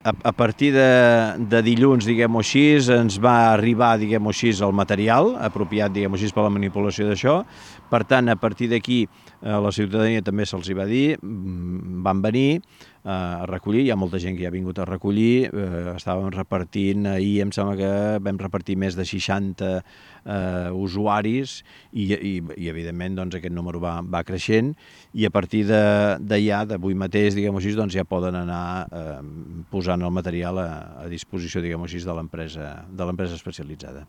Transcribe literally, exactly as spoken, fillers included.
a, a partir de, de dilluns, diguem-ho així, ens va arribar, diguem-ho així, el material apropiat, diguem-ho així, per la manipulació d'això. Per tant, a partir d'aquí, a la ciutadania també se'ls va dir, van venir a recollir, hi ha molta gent que ja ha vingut a recollir, eh, estàvem repartint, ahir em sembla que vam repartir més de seixanta eh, usuaris i, i, i evidentment doncs, aquest número va, va creixent i a partir d'allà, d'avui mateix, diguem-ho així, doncs ja poden anar eh, posant el material a, a disposició, diguem-ho així, de l'empresa de l'empresa especialitzada.